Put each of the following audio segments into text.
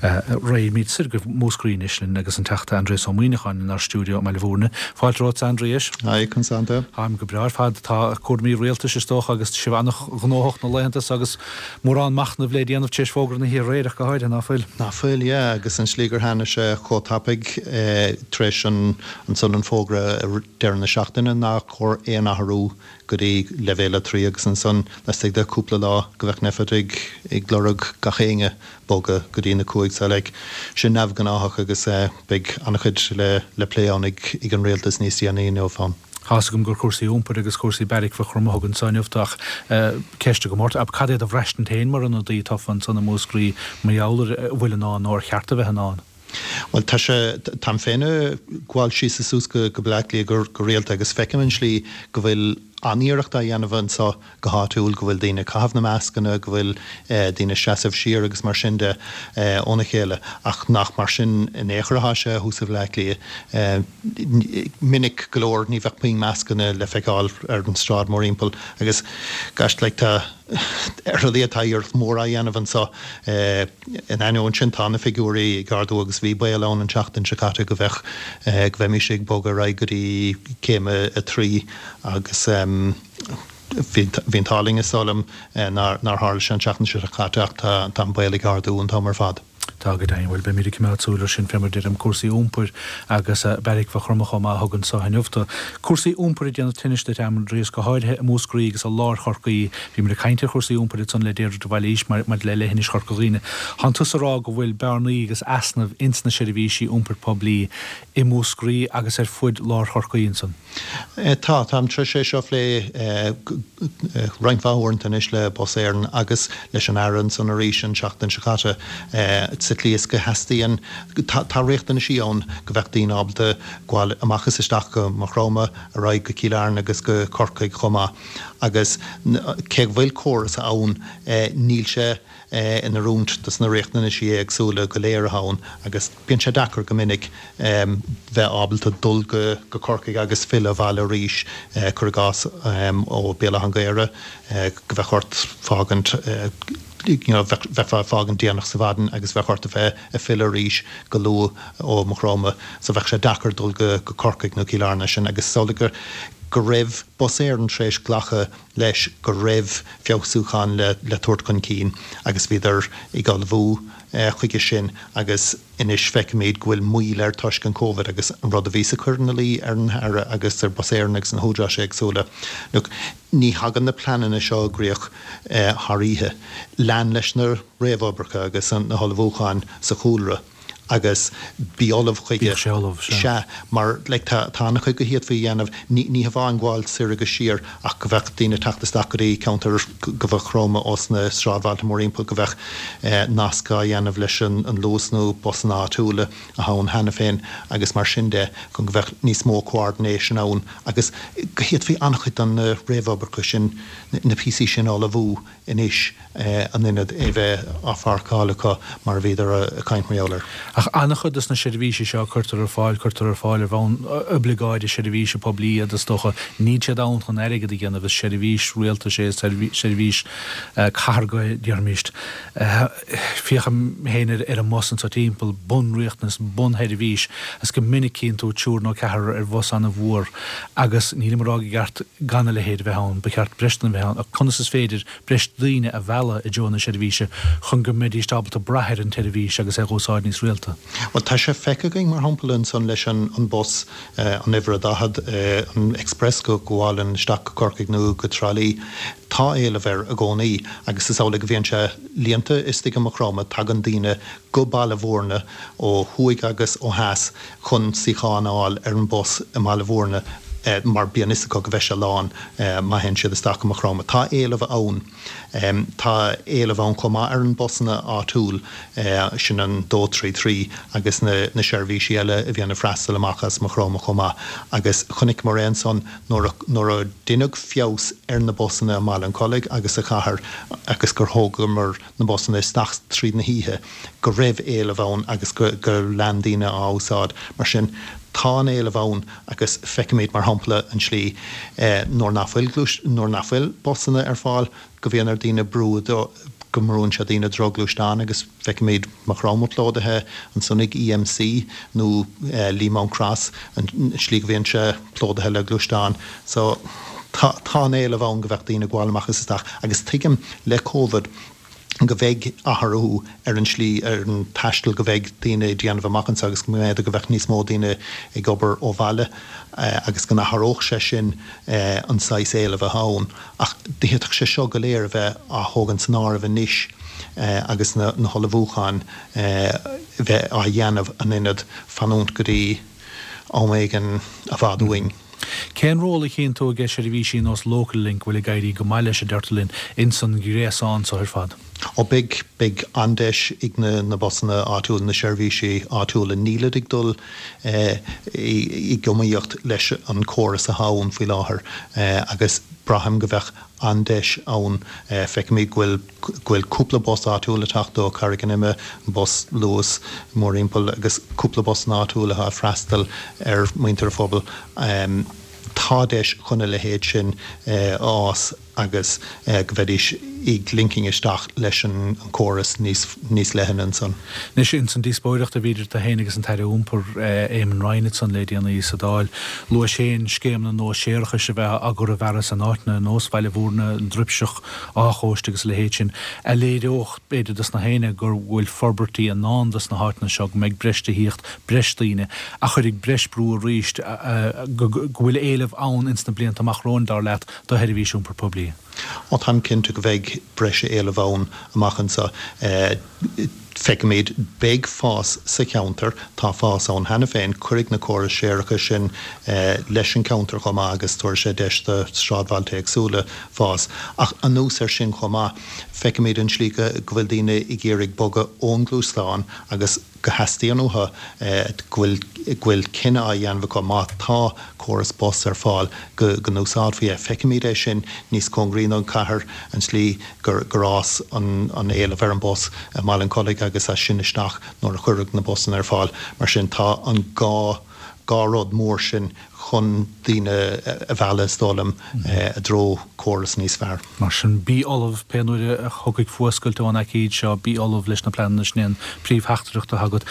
Raghaimid soir go Múscraí anois linn agus an Teachta Aindrias Ó Muimhneacháin inár stiúideo i mBaile Bhúirne. Fáilte romhat, a Aindriais. Haigh, conas tánn tú? Táim go breá ar fad. Tá cúraimí rialtais is dócha agus sibh an-ghnóthach na laethanta so agus mórán machnaimh le déanamh tar éis fógra na hoíche aréir ach go háirithe, ná fuil? Ná fuil, yeah, agus an slí gur tháinig sé chomh tapaidh tar éis ansan an fógra deireadh na seachtaine nár chóir aon athrú go dtí leibhéal 3 agus ansan laistigh de cúpla lá go bheadh Nphet ag ag lorg gach éinne bogadh go dtí na 5 so like sin neamhghnáthach agus beidh an-chuid le le plé ann ag ag an rialtas níos déanaí inniu ann. Tá's agam gur cúrsaí iompair agus cúrsaí beairic Mhaigh Chromtha a thug anso inniu tú ach ceist agam ort, cad é do bhraistint féin mar ionadaí tofa ansan i Múscraí mar gheall ar a bhfuil i ndán nó ar cheart a bheith i ndán? Bhuel, tá sé, táim féin ag gabháil síos is suas go Baile Átha Cliath go rialta agus feicim an slí go bhfuil an-iarracht á dhéanamh anseo go háitiúil, go bhfuil daoine ag caitheamh na mascanna, go bhfuil daoine ag seasamh siar agus mar sin de óna chéile, ach nach mar sin in aon chor atá sé thuas i Bhaile Átha Cliath. Minic go leor ní bheadh puinn mascanna le feiceáil ar an tsráid mórthimpeall agus gosh like tá, Ar a laghad tá iarracht mhór á dhéanamh anseo. In ainneoin sin, tá na figiúirí ag ardú agus bhí baol ann an tseachtain seo caite go bheadh, go bheimis ag bogadh ar aghaidh go dtí céim a 3 agus bhí an t-ádh linn is dóigh liom nár tharla sé an tseachtain seo caite ach tá an baol ag ardú an t-am ar fad. Tá go deimhin. Bhuel, beimid ag coimeád súil ar sin fé mar deirim, cúrsaí iompair agus Beairic Mhaigh Chromtha chomh maith a thug anso inniu tú. Cúrsaí iompair ag déanamh tinnis duit, Aindrias, go háirithe i Múscraí agus i lár Chorcaí. Bhíomar ag caint ar chúrsaí iompair ansan le Deirdre de Bhailís maidir le leithinis Chorca Dhuibhne. Tánn tusa ag rá go bhfuil bearnaí agus easnaimh ins na seirbhísí iompair poiblí i Múscraí agus ar fuid lár Chorcaí ansan. Tá, táim tar éis é seo a phlé roinnt mhaith uaireanta anois le Bus Éireann agus leis an Aire ansan arís an tseachtain seo caite, sa tslí is go theastaíonn, tá riachtanaisí ann go bheadh daoine ábalta gabháil amach is isteach go Maigh Chromtha, ar aghaidh go Cill Airne agus go Corcaigh chomh maith agus cé go bhfuil córas ann níl sé in oiriúint dos na riachtanaisí éagsúla go léir atá ann agus bíonn sé deacair go minic bheith ábalta dul go Corcaigh agus filleadh abhaile arís, cuir i gcás ó Béal Átha an Ghaorthaidh, go bheadh ort fágaint you know bheifeá ag fágaint déanach sa mhaidin agus bheadh ort a bheith ag filleadh arís go luath ó Maigh Chromtha so bheadh sé deacair dul go Corcaigh nó Cill Airne sin agus is amhlaidh go go raibh Bus Éireann tar éis glacadh leis go raibh feabhsúcháin le le tabhairt chun cinn agus bhíodar ag ullmhú chuige sin agus anois feicimid go bhfuil moill air toisc an Covid agus an rud a bhíos ag cur ina luí ar an Aire agus ar Bus Éireann agus na húdaráis éagsúla, look, ní thagann na pleananna seo i gcrích thar oíche. Lean leis na réamhoibreacha agus na hullmhúcháin sa chúlra agus bí ullamh chuige. Bíodh sé ullamh, sea. Sea, mar like tá tá an-chuid go bhféadfaí a dhéanamh, ní ní hamháin gabháil soir agus siar ach go bheadh daoine ag teacht isteach go dtí ceantar go Mhaigh Chromtha ós na sráidbhailte mórthimpeall, go bheadh nasc á dhéanamh leis an Luas nó busanna áitiúla atá ann cheana féin agus mar sin de, chun go bheadh níos mó coordination ann agus go bhféadfaí an-chuid den na réamhoibreacha sin, na píosaí sin a ullmhú anois in ionad é bheith á pháirceáil acu mar a bhíodar ag caint mar gheall air. Ach an-chuid de na seirbhísí seo a cuirtear ar fáil, cuirtear ar fáil ar bhonn oibleagáide seirbhíse poiblí iad is dócha. Níl siad ann chun airgead a dhéanamh, is seirbhís rialtais é, seirbhís cathartha déarfaimis. Féachaim féin ar an mbus anso timpeall, bunriachtanas, bunsheirbhís, agus go minic cíonn tú triúr nó ceathrar ar bhus an-mhór agus nílim ag rá gur ceart gan a leithéid a bheith ann, ba cheart breis daoine a bheith ann, ach conas is féidir breis daoine a mhealladh i dtreo na seirbhíse chun go mbeidís ábalta brath ar an tseirbhís agus é a dh'úsáid níos rialta. Bhuel, tá sé feicthe againn, mar shampla, ansan leis an bus, an uimhir a 40, an Express go gabhálann isteach go Corcaigh nó go Trá Lí. Tá éileamh air i gcónaí agus is amhlaidh go bhíonn sé líonta istigh i Maigh Chromtha. Tagann daoine go Baile Bhúirne ó thuaidh agus ó theas chun suíochán a fháil ar an bus i mBaile Bhúirne mar bíonn fhios acu go bheidh sé lán má théann siad isteach go Maigh Chromtha. Tá éileamh ann. Tá éileamh ann chomh maith ar an busanna áitiúil, sin an 233 agus na seirbhísí eile a bhíonn ag freastal amach as Maigh Chromtha chomh maith. Agus chonaiceamar é ansan nuair a nuair a deineadh feabhas ar na busanna i mBaile an Chollaigh agus sa chathair agus gur thógamar na busanna isteach tríd na hoíche, go raibh éileamh ann agus go lean daoine á úsáid. Mar sin, tá an éileamh ann agus feicimid, mar shampla, an tslí nuair nach bhfuil gluais, nuair nach bhfuil busanna ar fáil, go mbíonn ar daoine brú. go mbrúnn sé daoine i dtreo gluaisteán agus feicimid Maigh Chromtha plódaithe ansan ag EMC nó Leemount Cross, an slí go bhíonn sé plódaithe le gluaisteáin. So tá tá an éileamh ann go bheadh daoine ag gabháil amach is isteach agus tuigim le Covid go bheidh athrú ar an slí, ar an taisteal go bheidh daoine ag déanamh amach anseo agus go mb'fhéidir go bheadh níos mó daoine ag obair ó bhaile agus go n-athródh sé sin an saghas éileamh atá ann. Ach d'fhéadfadh sé seo go léir a bheith á thógaint san áireamh anois agus na hullmhúcháin bheith á dhéanamh in ionad fanúint go dtí am éigin i bhfad uainn. Cén ról a chíonn tú aige seirbhísí nós Local Link, a bhfuil ag éirí go maith leis, a deirtear linn, ins an ghréasán so ar fad? Ó beidh, beidh an-deis ag na busanna áitiúla, na seirbhísí áitiúla. Nílid ag dul i giomaíocht leis an córas atá ann faoi láthair agus braithim go bheadh an-deis ann. Feicimid go bhfuil, go bhfuil cúpla bus áitiúil ag teacht ó Carraig an Ime, bus Luas mórthimpeall agus cúpla busanna áitiúla atá ag freastal ar mhuintir an phobail. Tá deis chun a leithéid sin a fhás. agus go mbeidís ag linking isteach leis an córas níos níos leithne ansan. Anois, ins an díospóireacht a bhí idir tú féin agus an tAire Iompair, Eamon Ryan ansan le déanaí sa Dáil, luaigh sé féin scéimeanna nua séarachais a bheith á gcur i bhfearas in áiteanna ar nós Bhaile Bhúirne, an Druipseach, Áth Chóiste agus a leithéid sin, a léireodh, b'fhéidir, dos na héinne gur bhfuil forbairtí i ndán dos na háiteanna seo, go mbeidh breis tithíocht, breis daoine, a chuirfidh breis brú arís, go bhfuil éileamh ann ins na blianta amach romhainn, dar leat, do sheirbhís iompair poiblí. Ó táim cinnte go bheidh breis éileamh ann amach anseo. Feicimid, beidh fás sa cheantar, tá fás ann cheana féin, cuirfidh na córais séarachais sin leis an cheantar chomh maith agus tabharfaidh sé deis do sráidbhailte éagsúla fás. Ach anuas air sin chomh maith, feicimid an tslí go bhfuil daoine ag iarraidh bogadh ón ngluaisteán agus, go theastaíonn uathu, go bhfuil, go bhfuil cinneadh á dhéanamh acu má tá córas bus ar fáil go, go n-úsáidfí é. Feicimid é sin níos cóngaraí don chathair, an tslí gur, gur fhás an, an éileamh ar an bus i mBaile an Chollaigh agus as sin isteach nuair a cuireadh na busanna ar fáil. Mar sin tá an gá, dhá rud mór sin chun daoine a mhealladh, is dóigh liom, i dtreo córas níos fearr. Mar sin, bí ullamh, pé nuair a thiocfaidh fuascailt ón aicíd seo, bí ullamh leis na pleananna, sin é an príomhtheachtaireacht atá agat.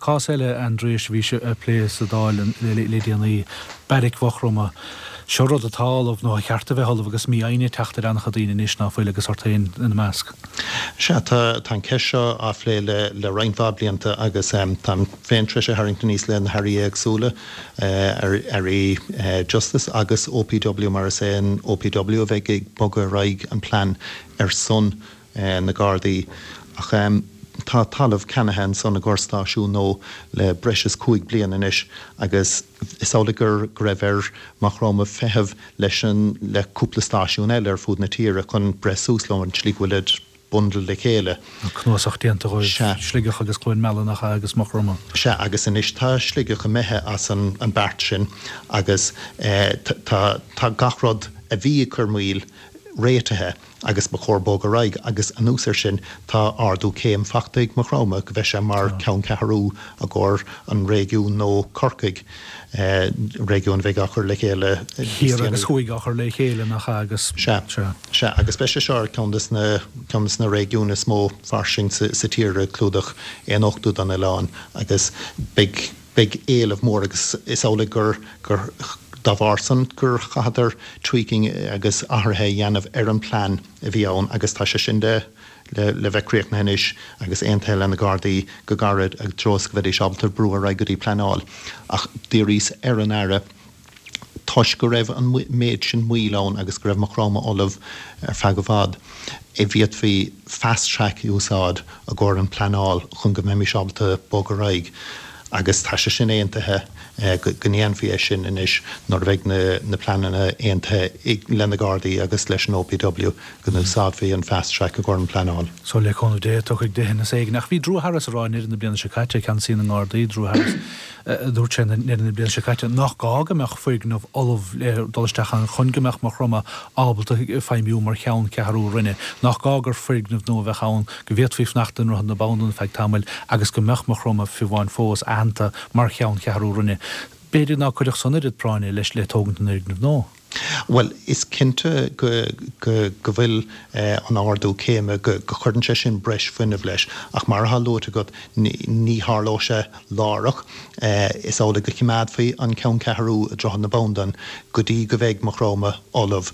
Cás eile, Aindrias, a bhí á phlé sa Dáil le déanaí, Beairic Mhaigh Chromtha. Seo rud atá ullamh, nó a cheart a bheith ullamh, agus mífhoighne ag teacht ar an-chuid daoine anois, ná fuil, agus ort féin ina measc. Sea, tá an cheist seo á phlé le roinnt mhaith blianta agus táim féin tar éis é a tharraingt aníos le na hairí éagsúla, Airí Justice agus OPW mar is é an OPW a bheidh ag bogadh ar aghaidh an plean ar son na Gardaí. Ach tá talamh ceannaithe ansan i gcomhair stáisiún nua le breis is 5 bliana anois agus is amhlaidh gur go raibh ar Maigh Chromtha feitheamh leis an le cúpla stáisiún eile ar fud na tíre chun breith suas leo an tslí go bhfuilid bundle le chéile. Tá cnuasach déanta dhóibh, Sea. Sligeach agus Cluain Meala nach ea agus Maigh Chromtha. Sea, agus anois tá Sligeach imithe as an beart sin agus tá tá gach rud a bhí ag cur moill réitithe agus ba chóir bogadh ar aghaidh agus anuas air sin tá ardú céim fachta ag Maigh Chromtha go bheidh sé mar ceanncheathrú i gcomhair an réigiún nó Corcaigh, réigiún a bheidh á chur le chéile Thiar agus thuaidh á chur le chéile nach ea agus. Sea. Sea. Sea, agus beidh sé seo ar ceann de na, ceann de na réigiúin is mó fairsing sa, sa tír ag clúdach aon ochtú den oileán agus beidh, beidh éileamh mór agus is amhlaidh gur, gur, dá bharr san gur chaitheadar tweaking agus athruithe a dhéanamh ar an plean a bhí ann agus tá sé sin le, le, le bheith críochnaithe anois agus aontaithe le na Gardaí go gairid i dtreo is go mbeidís ábalta brú ar aghaidh go dtí pleanáil. Ach d'iarraíos ar an Aire toisc go raibh an méid sin moill ann agus go raibh Maigh Chromtha ullamh ar feadh i bhfad, an bhféadfaí fast track a úsáid i gcomhair an pleanáil chun go mbeimis ábalta bog ar aghaidh agus tá sé sin aontaithe go ndéanfaí é sin anois nuair a bheidh na pleananna aontaithe le na Gardaí agus leis an OPW go n-úsáidfí an fast track i gcomhair an pleanáil. So le cúnamh Dé tiocfaidh deitheanas éigin. Ach bhí Drew Harris ag rá i ndeireadh na bliana seo caite, ceannasaí na nGardaí, Drew Harris, Dúirt sé i ndeireadh na bliana seo caite nach gá go mbeadh foirgneamh ullamh le dul isteach ann chun go mbeadh Maigh Chromtha ábalta feidhmiú mar cheanncheathrú roinne, nach gá gur foirgneamh nua a bheadh ann, go bhféadfaí fanacht i nDroichead na Bandan ar feadh tamaill agus go mbeadh Maigh Chromtha fiú amháin fós aitheanta mar cheanncheathrú roinne. B'fhéidir ná cuirfeadh san oiread práinne leis le tógaint an fhoirgnimh nua. Bhuel, is cinnte go go bhfuil an ardú céime, go chuireann sé sin breis fuinnimh leis, ach mar atá luaite agat, ní tharlóidh sé láithreach. Is amhlaidh go choimeádfaí an ceanncheathrú i Droichead na Bandan go dtí go mbeidh Maigh Chromtha ullamh.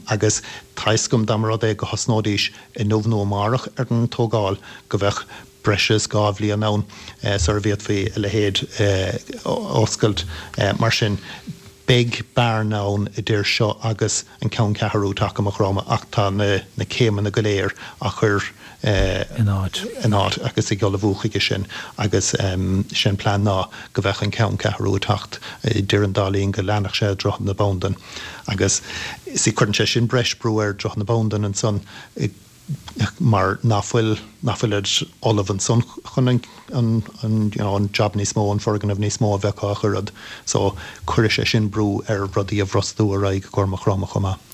Agus tá 'fhios agam dá mba rud é go thosnóidís inniu nó amárach ar an tógáil, go mbeadh breis is 2 bhliain ann sar a bhféadfaí a leithéid a oscailt. Mar sin, beidh bearna ann idir seo agus an ceanncheathrú teacht go Maigh Chromtha ach tá na céimeanna go léir á chur in áit. in áit agus ag ullmhú chuige sin agus sé an plean ná go mbeadh an ceanncheathrú ag teacht idir an dá linn go leanfadh sé i Droichead na Bandan agus see cuireann sé sin breis brú ar Droichead na Bandan ansan mar ná fuil, ná fuilid ullamh ansan chun an, an, an, you know, an job níos mó, an foirgneamh níos mó a bheith acu a chur fhad. So, cuirfidh sé sin brú ar rudaí a bhrostú ar aghaidh i gcomhair Maigh Chromtha chomh maith.